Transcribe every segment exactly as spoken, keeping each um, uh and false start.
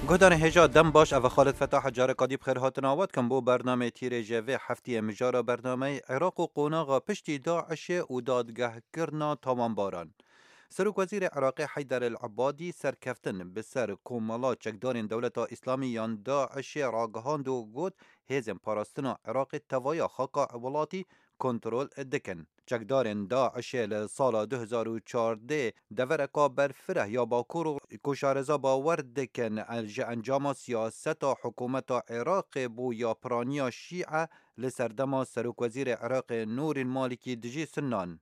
Guhdarên hêja dem baş, ev Xalid Fetah, careka dî bi xêr hatina we dikim bo bernameyê Tîrêjê vê heftiyê. Mijara bernameyê Iraq û qonaxa piştî DAIŞê û dadgehkirina tawanbaran. Serokwezîrê Iraqê Heyder El Ebadî serkeftin bi ser komela çekdarên Dewleta Îslamî yan DAIŞê ragihand û got, hêzên parastina Iraqê tevaya xaka welatî kontrol dikin. Çekdarên DAIŞê li sala du hezar û çardeh devereka berfireh ya Bakur û ku şareza bawer dikin el-, ji encama siyaseta hikûmeta Iraqê bû ya piraniya Şîe li serdema Serokwezîrê Iraqê Nûrîl Malîkî dijî Sunnan.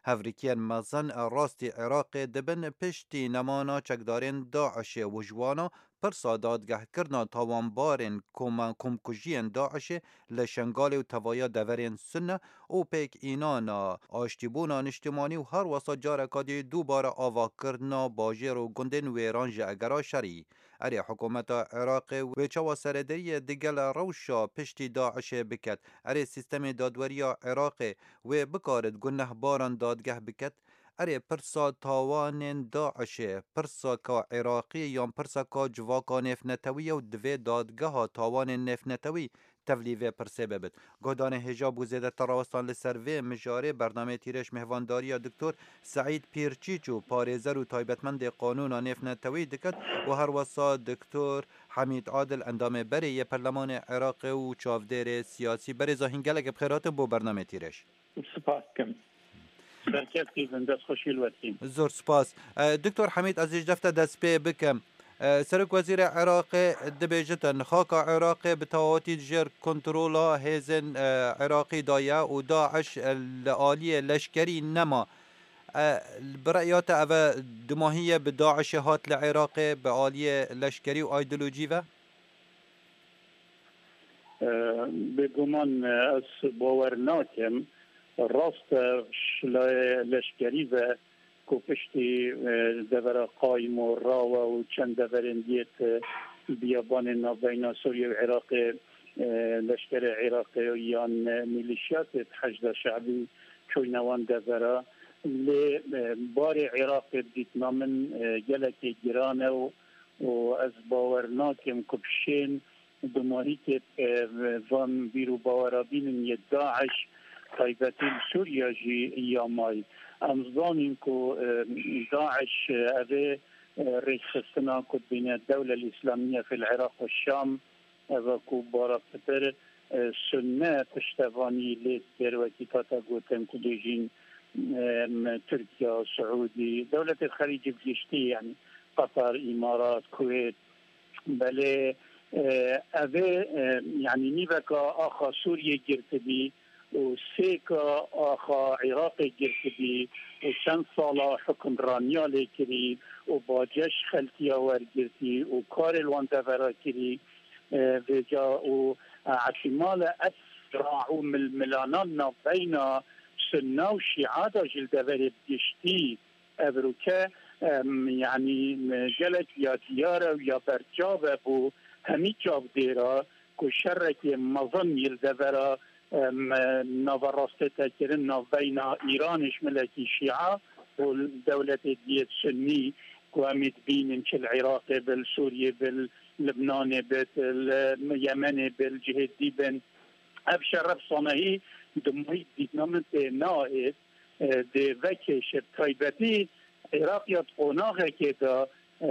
Hevrikiyên mezin rastî Iraqê dibin piştî nemana çekdarên DAIŞê û ji wana pirsa dadgehkirina tawanbarên koma-, komkujiyên DAIŞê li Şengalê û tevaya deverên Sunne û pêk înana aştîbûna niştimanî û her wesa careka dî dubare avakirina bajêr û gundên wêran ji egera şerî. Erê, hikûmeta Iraqê wê çawa serederiyê digel rewşa piştî DAIŞê biket? Erê, sîstemê dadweriya Iraqê wê bikarit gunehbaran dadgeh biket? Erê, pirsa tawanên DAIŞê, pirsaka Iraqî yan pirsaka civaka nêvnetewî ye û divê dadgeha tawanên nêvnetewî tevlî vê pirsê bibit. Guhdarên hêja bo zêdetir rawestan li ser vê mijarê bernameyê Tîrêj mêhvandariya Doktor Seîd Pîrçîç û parêzer û taybetmendê qanûna nêvnetewî diket û her wesa Doktor Hemîd Adil, endamê berê yê Perlemanê Iraqê û çavdêrê siyasî. Berêza hîn gelek bi xêr hatin bo bernameyê Tîrêj. Spas dikim. Serkevtî bin, destxweşî li we dikim. Zor spas. E, Doktor Hemîd, ez ê ji defte dest pê bikim. E, Serok Wezîrê Iraqê dibêjitin, xaka Iraqê bi tewatî di jêr kontrola hêzên, e, Iraqî de ye û DAIŞ, e, li aliyê leşkerî nema. E, bi reya te ev e dumahî ye bi DAIŞê hat li Iraqê bi aliyê leşkerî û aydolojî ve? Bêguman ez bawer nakim. Rast e, ji layê leşkerî ve ku piştî, e, devera Qayim û Rawa û çend deverên diyê di biyabanên navbeyna Sûriye û Iraqê, e, leşkerê Iraqê yan, e, mîlîşiyatê Heşda Şe'bî çûyne wan devera. Lê, e, barê Iraqê dîtina min, e, gelekî giran e û û ez bawer nakim ku bi şên dumahîkê, e, van bîr û bawera bînin yê DAIŞ, taybetî li Sûriya jî ya may. Em zanîn ku, e, DAIŞ, e, ev ê, e, rêkxistina ku dibîne Dewle Îslamiye fil Iraq û Şam, ev e ku bara pitir, e, Sunne piştevanî lê dikir, wekî hate gotin ku bêjîn, e, Tirkiye, Siûdî, dewletê Xelîcî bi giştî, yanî Qatar, Îmarat, Kuwêt, belê, e, ev ê, e, yanî nîveka axa Sûriyê girtibî û sêka axa Iraqê girtibî û çend sala hukimraniya lê kirî û baceş xelkiya wergirtî û karê li wan devera kirî, e, vêca û, e, ihtimale ev sira û milmilana navbeyna Sunna û Şîa de jî li deverê bi giştî ev rûke, em, yanî, gelek ya diyar e û ya berçav e bo hemî çavdêra ku şerekê mezin yê li devera, em, nava rastê te kirin navbeyna Îranê ji milekî Şîa û dewletê diyê Sunnî ku em ê dibînin çi li Iraqê bi, li Sûriyê bi, li Libnanê bi, li Yemenê bi, li cihê dî bin. Ev şer, ev sanehî dumahî dîtina min tê nayê, e, dê vekêşe. Bi taybetî Iraq ya di qonaxekê de, e,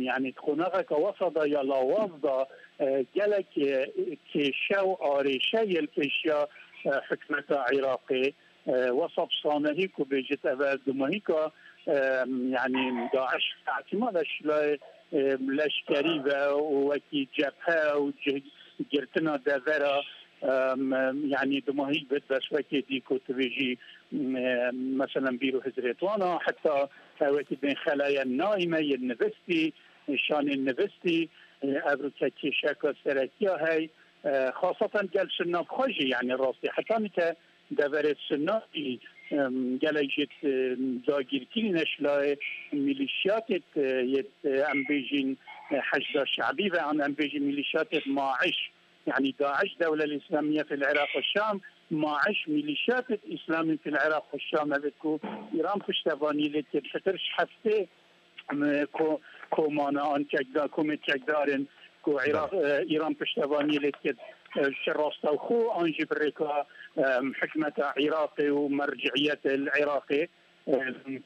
yanî di qonaxeke wesa de ya lawaz de, e, gelek, e, kêşe û arêşe yê li pêşiya, e, hikûmeta Iraqê, e, wesa bi sanehî ku bêjit ev e dumahîka, e, yanî DAIŞ ihtimal e ji layê, e, leşkerî ve û wekî cephe û cih-, girtina devera, e, yanî dumahîk bit, bes wekê dî ku tu bêjî, e, meselen bîr û hizrê wana, heta wekî bên Xelaya Naîme yên nivistî, şanên nivistî, e, ev rûke kêşeka serekiya hey, e, xaseten gel Sunna bi xwe jî, yanî rastî heta nike deverê Sunna jî, em, gelek jî, em, dagîrkirî ne ji layê mîlîşiyatê, e, yê, e, em bêjin, e, Heşda Şe'bî ve an em bêjin mîlîşiyatê MAIŞ, yanî DAIŞ, Dewle Îslamiye fil Iraq û Şam, MAIŞ, mîlîşiyatê Îslamî fil Iraq û Şam, ev ku Îran piştevanî lê tê, pitir ji heftê em, ko-, komana an çekdar, komê çekdar in ku Îra-, Belê. e, Îran piştevaniyê lê dikir, e, ji rastewxo an jî bi rêka, e, hikmeta Iraqê û merciyetê li Iraqê, e,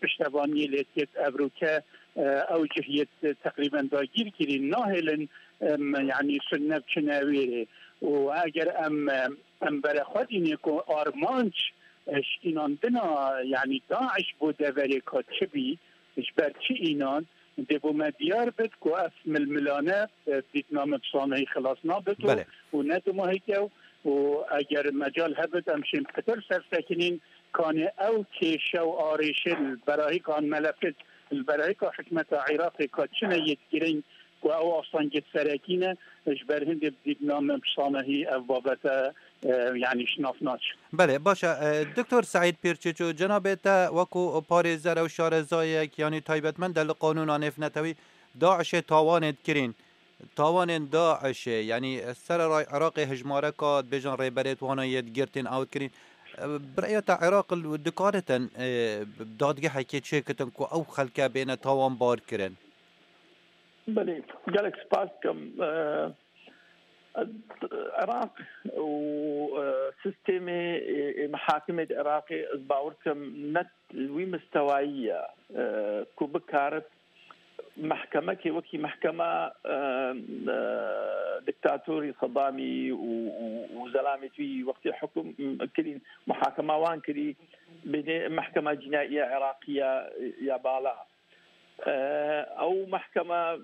piştevaniyê lê dikir. Evroke, e, ew cih yê teqrîben dagîr kirî nahêlin, e, yanî sunne biçine wê rê. Û eger em, e, em berexwe dînê ku armanc, e, şkînandina, yanî DAIŞ bo deverê ka çi bî, ji ber çi înan, dê bo me diyar bit ku ev milmilane, e, dîtna me bi sanehî xilas nabit û, Belê. û ne dumahî kew û eger mecal hebit em şên pitir sersekinîn, kanê ew kêşe û arêşê li berahîkan melefit, li berahîka hikmeta Iraqê ka çine yê girîng ku ew astengê serekî ne, ji ber hindê bi dîtna me bi sanehî ev babete, e, yanî şinaf naçin. Belê, baş e. E, Doktor Seîd Pîrçiço, cenabê te wekû parêzer ew şarezayek, yanî taybetmend e li qanûna nêvnetewî, DAIŞê tawanê dikirîn. Tawanên DAIŞê, yanî sereray Iraqê hejmareka dibêjin rêberêt wana yê digirtîn ew dikirîn. E, bi rêya te Iraq li dikaritin, e, dadgehekê çêkitin ku ew xelke bêne tawanbar kirin? Belê, gelek spas dikim. E, Iraq û, e, sistemê, e, e, mihakimê di Iraqê ez bawer dikim ne wî mistewayî ye, e, ku bikarib mehkemekê wekî mehkema, e, e, diktatorî Sedamî û, û, û zelamê wî wextê hukum kirîn, muhakema wan kirî, bêne mehkema cînaiya Iraqî ya, ya bala. E, ew mehkeme,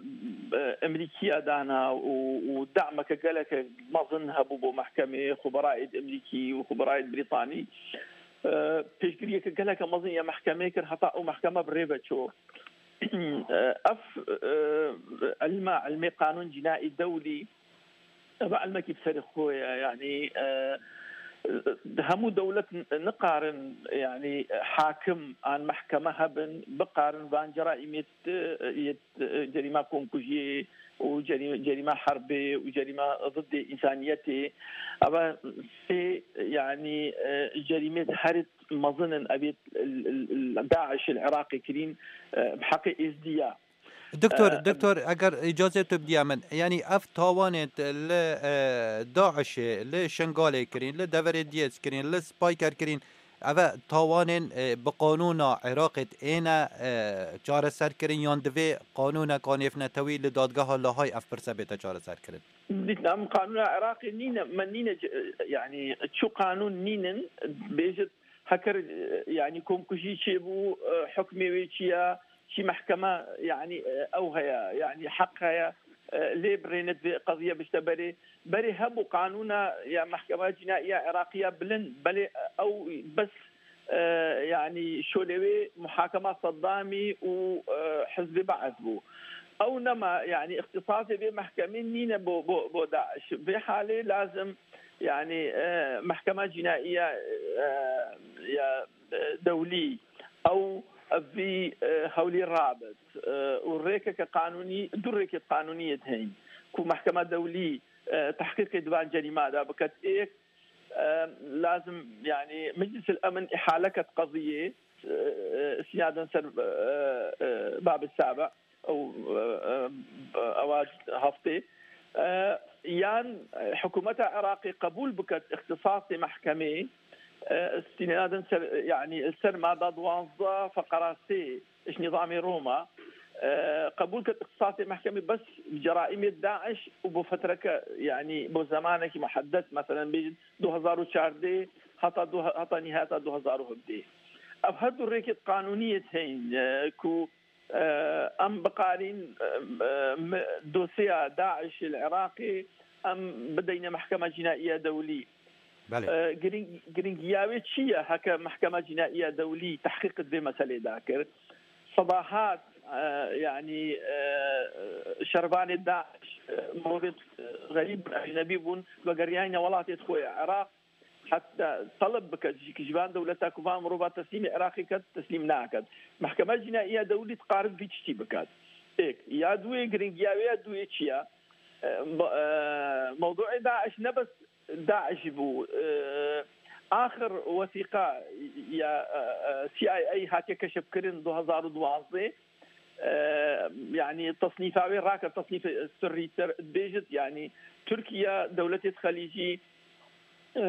e, Emerîkiya dana û, û dameke geleke mezin hebû bo mehkemê, xuberayê di Emerîkî û xuberayê di Brîtanî. E, pêşbiriyeke geleke mezin ya mehkemê kir, heta ew mehkeme bi rê ve çû. E, ev, e, ilma, ilmê qanûn cînaî dewlî, Ev ilmekî bi serê xwe ye, yanî, e, hemû dewlet n-, nikarin, yanî, hakim an mehkeme hebin, bikarin van ceraîmê t-, yê t-, cerîma komkujiyê û cerî-, cerîma herbê û cerîma ziddê însaniyetê. Eva sê, yanî, e, cerîmê herî mezin in, evê l-, l-, l-, DAIŞ li Iraqê kirîn, e, bi heqê Êzdiya. Doktor, E, doktor, eger îcazê tu bidîya min, yanî ev tawanê li, e, DAIŞê, li Şengalê kirîn, li deverê Diyez kirîn, li Spayker kirîn, ev e tawanên, e, bi qanûna Iraqê êne, e, çareser kirin yan divê qanûneka nêvnetewî li dadgeha Lahayê ev pirse bête çareser kirin? Dîtna min qanûna Iraqê nîne, me nîne, yanî çi qanûn nînin, bêjit heker, yanî komkujî çêbû, e, hukmê wê çi ye, çi mehkeme, yanî, e, ew heye, yanî heq heye, e, lê birêne divê qeziye bişte berê. Berê hebû qanûna ya Mehkema Cînaiya Iraqiya bilind, belê, e, ew bes, e, yanî şolê wê muhakema Seddamî û, e, Hizbê Be'es bû. Ew nema, yanî îxtisasê vê mehkemê nîne bo, bo, bo DAIŞ. Vê halê lazim, yanî, e, Mehkema Cînaiya, e, ya e, dewlî, ew vî, e, hewlî rabit, e, û rêkeke qanûnî, du rêkê qanûnî yê heyîn ku mehkema dewlî, e, tehqîqê di van cerîma de biket. Êk, e, lazim, yanî Meclis el Emin îhale ket qeziyê, e, e, îstînaden ser, e, e, Bab Sabe. Ew, e, e, ewa heftê, e, yan hikûmeta Iraqê qebûl biket îxtisasê mehkemê, e, îstînadin ser, yanî ser mada duwazdeh feqera sê ji nîzamê Roma, e, qebûl ket îxtisasê mehkemê bes bi ceraîmê DAIŞ û bo fetreke, yanî bo zemanekî muheddes, meselen bêjin du hezar û çardeh heta du, heta nîhayeta du hezar û hevdeh. Ev her du rêkê qanûnî yê heyîn, e, ku e, em bikarîn, e, e, me-, dosyeya DAIŞê li Iraqê em bideyne Mehkema Cînaiya Dewlî. Belê. E, giring-, giringiya wê çi ye? Heke Mehkema Cînaiya Dewlî tehqîq di vê meselê de kir, sedahat, e, yanî, e, şervanê DAIŞ, e, morê, e, xerîb bûn, ecnebî bûn, vegeriyayne welatê xwe ya Iraq. Heta teleb bike ji, ji van dewleta ku van mirova teslîmê Iraqê ket, teslîm naket. Mehkema Cînaiya Dewlî diqarib vî tiştî biket. Êk, ya duê, giringiya wê ya duê çi ye? E, mo-, e, mewduê DAIŞ ne bes DAIŞ bû. E, axir wesîqa ya, e, e, C I A hatiye keşfkirin du hezar û duwazdeh. e, yanî tesnîfa wê rake, tesnîf sirrîtir dibêjit, yanî Tirkiye dewletê xelîcî, e,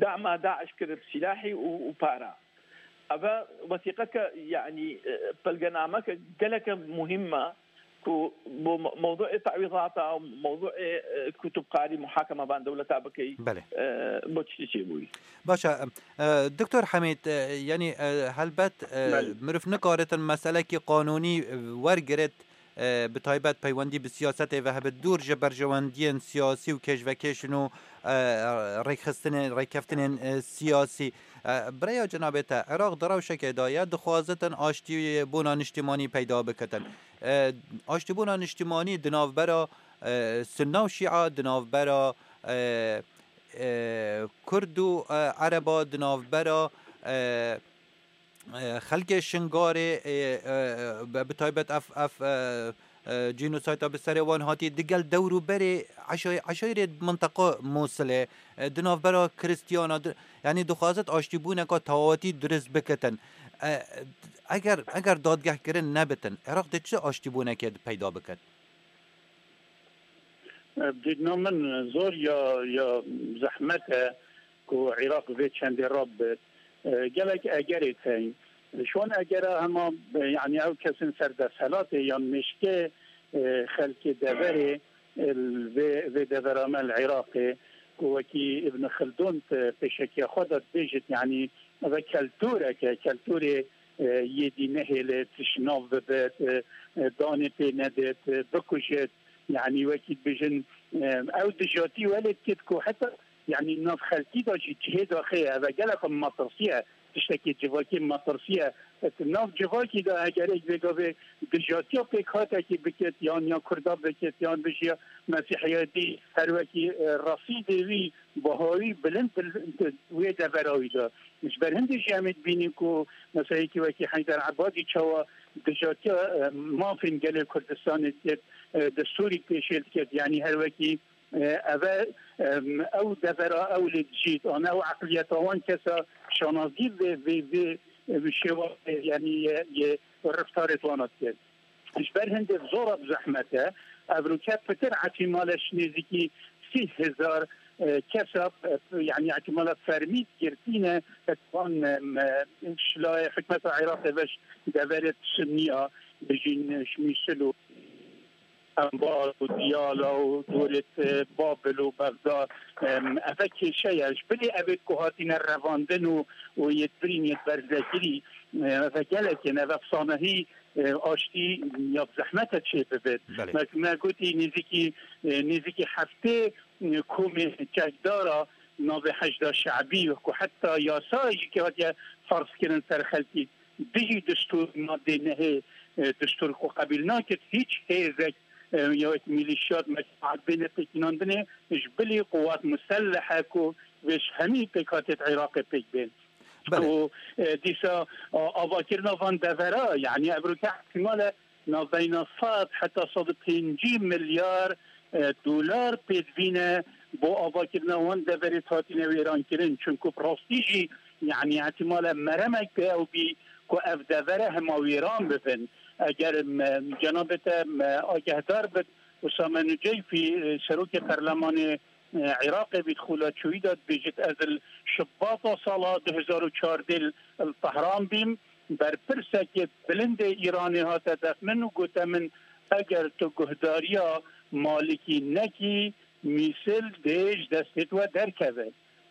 dema DAIŞ kir bi silahî û, û para. Eve wesîqeke, yanî, e, pelgenameke geleke muhîm e ku bo me-, mewduê tewîzata û mewduê, e, ku tu bikarî muhakeme van dewleta bikey, Belê. e, bo tiştî çêbûyî. Baş e, e, Doktor Hemîd, e, yanî, e, helbet, e, Belê. mirov nikaritin meselekî qanûnî wergirit, e, bi taybet peywendî bi siyasetê ve hebe dûr ji berjewendiyên siyasî û kêşvekêşin û, e, rêkxistinên, rêkeftinên, e, siyasî. E, bi rêya cenabê te, Iraq di rewşekê de ye, dixwazitin aştîbûna niştimanî peyda bikitin. E, aştîbûna niştimanî di navbera, e, Sunna û Şîa, di navbera, e, e, Kurd û, e, Ereba, di navbera, e, e, xelkê Şingalê, e, e, e, bi taybet ev, ev, e, e, cînosayta bi serê wan hatî, digel dewr û berê eşay-, eşayirê minteqa Mûsilê, e, di navbera Kristiyana, di, yanî dixwazit aştîbûneka tawatî dirust bikitin. E, eger, eger dadgehkirin nebitin, Iraq dê çi aştîbûnekê peyda biket? Bi dîtina min zor ya, ya zehmet e ku Iraq vê çendê rabit. E, gelek egerê teyîn. Ji wan egera hema, e, yanî ew kesên ser desthilatê yan mêşkê, e, xelkê deverê, e, vê, vê devera me li Iraqê, ku wekî Ibn Xildun, e, pêşekiya xwe de dibêjit, yanî ev e keltûrek e, keltûrê, e, yê dî nehêlit, ji nav bibit, e, e, danê pê nedit, e, bikujit. Yanî wekî dibêjin, e, ew dijatî welê dikit ku heta, yanî nav xelkî de jî cihê daxê ye. Ev e gelek metirsî ye, tiştekî civakî metirsî ye. Di nav civakî de eger êk vê gavê dijatiya pêkhatekî bikit, yan ya Kurda bikit, yan bijiya Mesîhiyetî, her wekî, e, resîdê wî, baha wî bilind, bilind wê devera wî de. Ji ber hindê jî em ê dibînin ku meseleyekî wekî Heyder Ebadî çawa dijatiya, e, mafên gelê Kurdistanê dikir, e, destûrî pêşêl dikir. Yanî her wekî, e, ev e, em, ew devera ew lê dijît, an ew eqliyeta wan kesa şanazî vê, vê, vê, vê şêwazê, yanî yê, yê reftarê wana dikir. Ji ber hindê zor e, bi zehmet e. Evroke pitir ehtimale ji nêzîkî sî hezar, e, kesa, e, yanî ehtimala fermî girtîne, e, wan, e, me, şilayê hikmeta Iraqê ve ji deverê Sunniya bijîn, e, ji Mîsil û Enbar û Diyala û dorê, e, Babil û Bexda, e, eve kêşe ye. Ji bilî evê ku hatine revandin û, û yê birîn yê berzekirî, e, eve gelek in, eve sanehî e, aştî ya bi zehmet e çê bibit. Belê. Me, me gotî nêzîkî, e, nêzîkî heftê, e, komê çekdara navê Heşda Şe'bî ku heta yasa jî ke hatiye ferz kirin ser xelkî, dijî destûr madê nehê, e, destûr ku qebîl nakir hîç hêzek, e, ya wek mîlîşyat, mecmuat bêne pêkînandinê ji bilî quwat muselleh e ku vê ji hemî pêkhatê di Iraqê pêk bên. Belê. Ku, e, dîsa, a, avakirina van devera, yanî evroke ihtimal e navbeyna sed heta sed û pêncî milyar, e, dolar pêdivîne bo avakirina wan deverê hatine wêrankirin. Çunku bi rastî jî, yanî ihtimal e meremek pê ew bî ku ev devere hema wêran bibin. Eger me, cenabê te me agehdar bit, Usame Nuceyfî, e, serokê perlemanê e, Iraqê bî, di xula çûyî de dibêjit, ez li Şibata sala du hezar û çardeh li Tehran bîm, berpirsekê bilind ê Îranê hate def min û gote min, eger tu guhdariya Malikî nekî, mîsil dê ji destê we derkeve.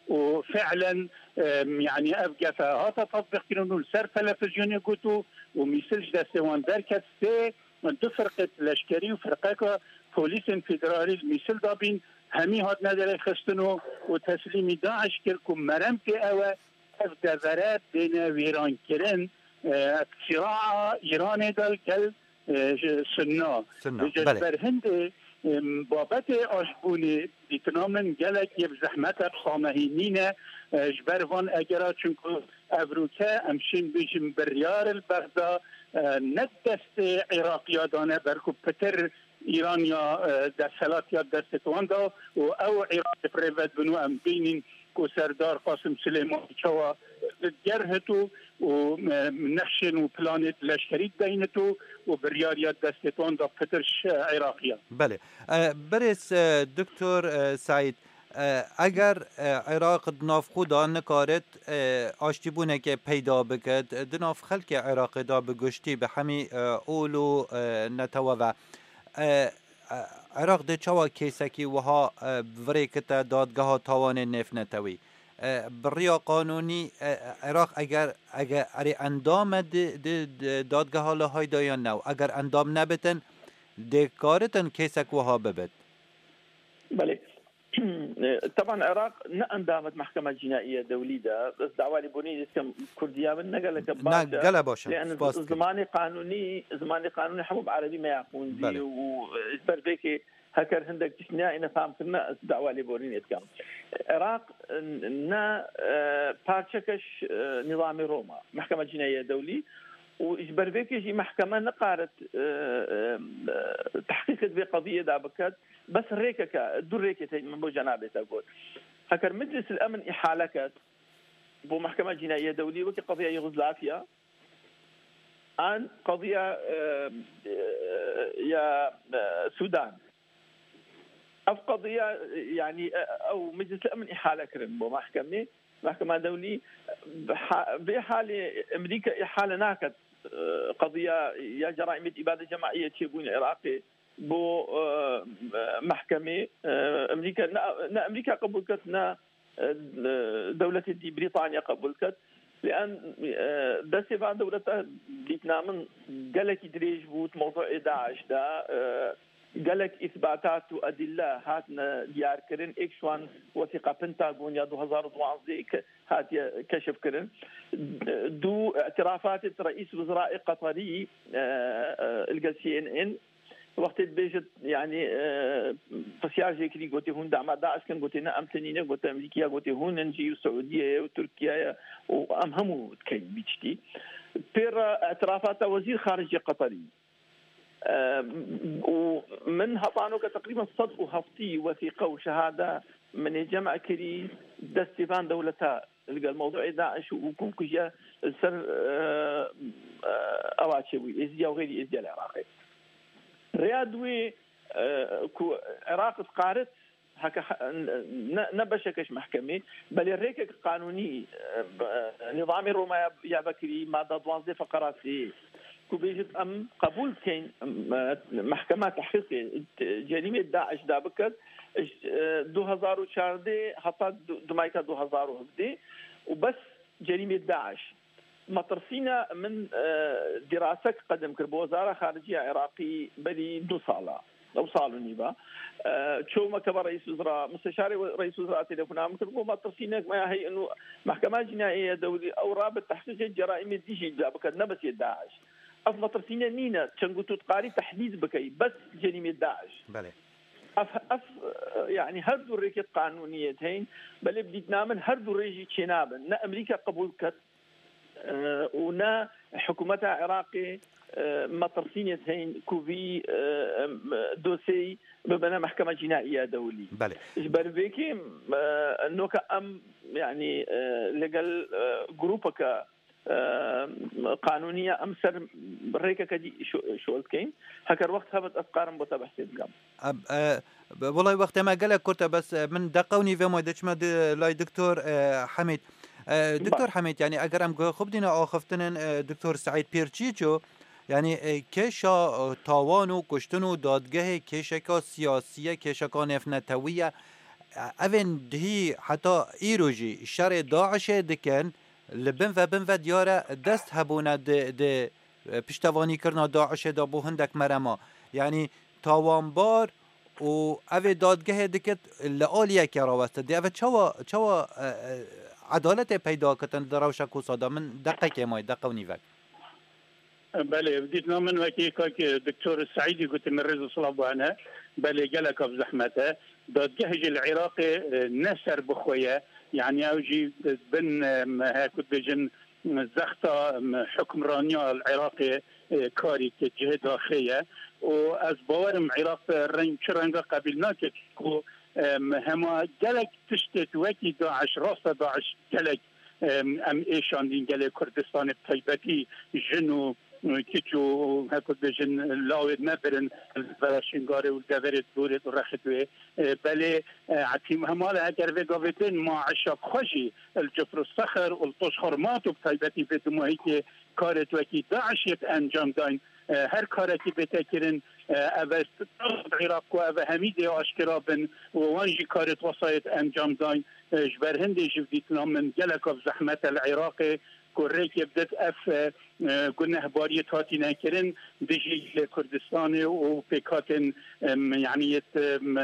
Û fi'len, e, yanî ev gefe hate tatbîqkirin û li ser televizyonê got û, û mîsil ji destê wan derket. Sê du firqê leşkerî û firqeka polîsên federalî li mîsil de bîn, hemî hatine derêxistin û, û teslîmî DAIŞ kir ku merem pê ew e, ev devere bêne wêrankirin, e, siraa Îranê de li gel, e, ji Sunna. Sunna, Ji belê. ber hindê, em, babetê aşbûnê dîtina min gelek yê bi zehmet e, bi sanehî nîne, e, ji ber van egera, çunku evroke em şên bêjin biryar li Bexda, e, ne destê Îraqiya dane, belku pitir Îran ya, e, desthilat ya destê wan da û ew Îraqê bi rê ve dibin û em bînîn ku Serdar Qasim Silêmanî çawa gerhito û, e, nexşên û planê leşkerî deynitu û biryariya destê wan da pitir ji Iraqî ya. Belê. E, birêz, e, Doktor, e, Seîd, e, eger, e, Iraq di nav xwe da nikarit, e, aştîbûneke peyda bikit, di nav xelkê Iraqê da bi giştî, bi hemî, e, ol û, e, netewe ve, e, e, Iraq dê çawa kêsekî wiha, e, virêkite dadgeha tawanên nêvnetewî? E, bi riya qanûnî, e, Iraq eger, eger erê endam e di, di, di dadgeha Lahayê de yan ne? Eger endam nebitin, dê karitin kêsek wiha bibit? Belê. Teban Iraq ne endam e di Mehkema Cînaiye Dewlî de. Ez dawa lêborînê dikim, Kurdiya min ne geleke Ne, baş e. Gelek baş e. Lê em Spas dikim. Zimanê qanûnî, zimanê qanûnî hemû bi erebî me ya xwendî Belê. û, e, ji ber vê kê heker hindek tişt neyayîne fam kirine, ez dawa lêborînê dikim. Iraq, e, ne, e, parçeke ji, e, nîzamê Roma, Mehkema Cînaiye Dewlî û ji ber vê kê jî mehkeme nikarit, e, e, e, tehqîqê di vê qediyê de biket. Bes rêkeke, du rêkê tê min bo cenabê te got. Heker Meclis el Emn îhale ket bo Mehkema Cînaiye Dewlî wekî qediya Yugoslavya an qediya, e, e, ya, e, Sudan. Ev qediya, e, yanî, e, ew Meclis el Emn îhale kirin bo mehkemê. Mehkema Dewlî, e, ha-, vê halê Amerîka îhale naket, e, qediya ya ceraîmê îbade cemaî yê çêbûyî li Iraqê. Bo, e, mehkemê, e, Amerîka, ne, ne Amerîka qebûl ket, ne, e, dewletê dî Brîtanya qebûl ket. Lê em, e, destê van dewleta dîtina min gelekî dirêj bû di mewzûê DAIŞ de, e, gelek îsbatat û edîlle hatine diyarkirin, êk ji wan wesîqa Pentagon ya du hezar û duwazdeh ke-, hatiye keşifkirin. Du îtirafatê reîs wizraê Qeterî, e, e, li gel C N N, wextê dibêjit, yanî, e, pisyar jê kirî, gotê hûn dama DAIŞ kin, gotê ne, em tenî ne, gote Amerîkaya, gotê hûn in jî û Siûdiye ye û Tirkiye ye û em hemû dikeyn vî tiştî. Pê re îtirafata wezîr xaricê Qeterî. E, û min hetanoke teqrîben sed û heftî wesîqe û şehade min ê cem kirî destê van dewleta li gel mewduê DAIŞ û komkujiya li ser, e, e, ewa çêbûyî, Êzidiya û xeyrî Êzidiya li Iraqê. Rêya duwê, e, ku Iraq dikarit heke he-, ne, ne beşeke ji mehkemê, belê rêkek qanûnî, e, b-, e, nîzamê Roma ya, ya vekirî, mada duwazdeh feqera sê, ku bêjit em qebûl dikeyn, em, e, mehkema tehqîqê, e, cerîmê DAIŞ da biket, ji, e, du hezar û çardeh heta du-, dumayka du hezar û hevdeh û bes cerîmê DAIŞ. Metirsîne min, e, dîrasek qedim kir bo Wezara Xariciya Iraqî berî du sala. Ew sal û nîva. E, çûme keve reîs wizra, musteşarê we-, reîs wizra telefona min kir, got, metirsînek me ya heye û mehkema cînayê ya dewlî ew rabe tehqîqê ceraîmê dî jî da biket, ne bes yê DAIŞ. Ev metirsîne nîne, çend ku tu dikarî tehdîd bikey, bes cerîmê DAIŞ. Belê. Ev, ev, e, yanî her du rêkê qanûniyê heyîn, belê bi dîtina min her du rê jî çênabin. Ne Amerîka qebûl ket, e, û ne hikûmeta Iraqê, e, metirsînê heyîn ku vî, e, em, dosyeyê bibine Mehkema Cînaiye Dewlî. Belê. Ji ber vê kê, e, noka em, yanî, e, li gel, e, grûpeke, e, qanûnî ye, em ser rêkeke dî şo-, şol dikeyn. Heker wext hebit, ez karim bo te behsê bikim. Em, e, Welay wextê me gelek kurt e, bes, e, min deqew nîvê may diçime di lay Doktor, e, Hemîd. E, Doktor Hemîd, yanî eger em guhê xwe bidîne axiftinên, e, Doktor Seîd Pîrçîço, yanî, e, kêşa, e, tawan û kuştin û dadgehê kêşeka siyasî ye, kêşeka nêvnetewî ye. E, evên dihî heta îro jî şerê DAIŞê dikin, li bin ve bin ve diyar e dest hebûne di, di e, piştevanîkirina DAIŞê de bo hindek merema. Yanî tawanbar û evê dadgehê dikit li aliyeke raweste. Dê eve çawa, çawa, e, e, edaletê peyda kitin di rewşa kosa de? Min deqekê may, deqe û nîvek. Belê, dîtina min wekî kak, e, Doktor Seîdî gotî, min rêz û silav bo hene. Belê, gelek ev zehmet e. Dadgeh jî li Iraqê, e, ne ser bi xwe ye. Yanî ew jî bin, e, me heye ku dibêjin, zexta, em, hukmraniya li Iraqê, e, karî ke cihê daxê ye û ez bawerim Iraq reng, çi renga qebîl nake ku Em, hema gelek tiştê wekî DAIŞ, rasta DAIŞ gelek, em, em êşandîn gelê Kurdistanê, bi taybetî jin û, û kiç û, û heko dibêjin, lawê me birin, vera Şingalê û deverê Dûrê û Rexidwê. E, belê, e, etîm hemale eger vê gavê din ma eşa xwe jî li Cifr û Sexir û li Toş Xormat û bi taybetî vê dumahîkê karê wekî DAIŞ yê encam dayn. E, her karekî bête kirin, e, ev e Iraq ku ev e hemî dê aşkera bin û wan jî karê wesayet encam dayn. E, ji ber hindê jî dîtina min gelek ev zehmet e li Iraqê ku rêkê bidit ev, e, e, gunehbariyê hatîne kirin dijî Kurdistanê û pêkhatên, em, yanî yêt, em,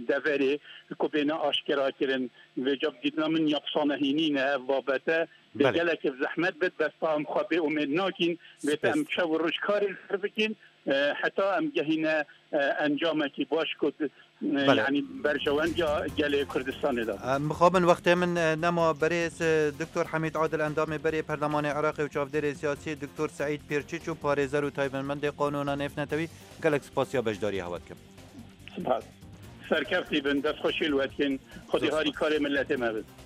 deverê ku bêne aşkera kirin. Vêca dîtina min yapsane hînî ne ev babete. Bê Belê. Gelek ev zehmet bit, bes em xwe bê umêd nakîn. Bê Spes. Em şev û roj karê li ser bikin, e, heta em gehîne, e, encamekî baş ku, e, Belê. Yanî berjewendiya gelê Kurdistanê de. Em mixabin wextê min, e, nema berêz, e, Doktor Hemîd Adil endamê berê Perlemanê Iraqê û çavdêrê siyasî Doktor Seîd Pêrçiç û parêzer û taybetmendê qanûna nêvnetewî gelek spasiya beşdariyê hewa dikim. Spas. Serkeftî bin, destxweşî li we dikin. Xwedî Zor harî spas. Karê milletê me bin.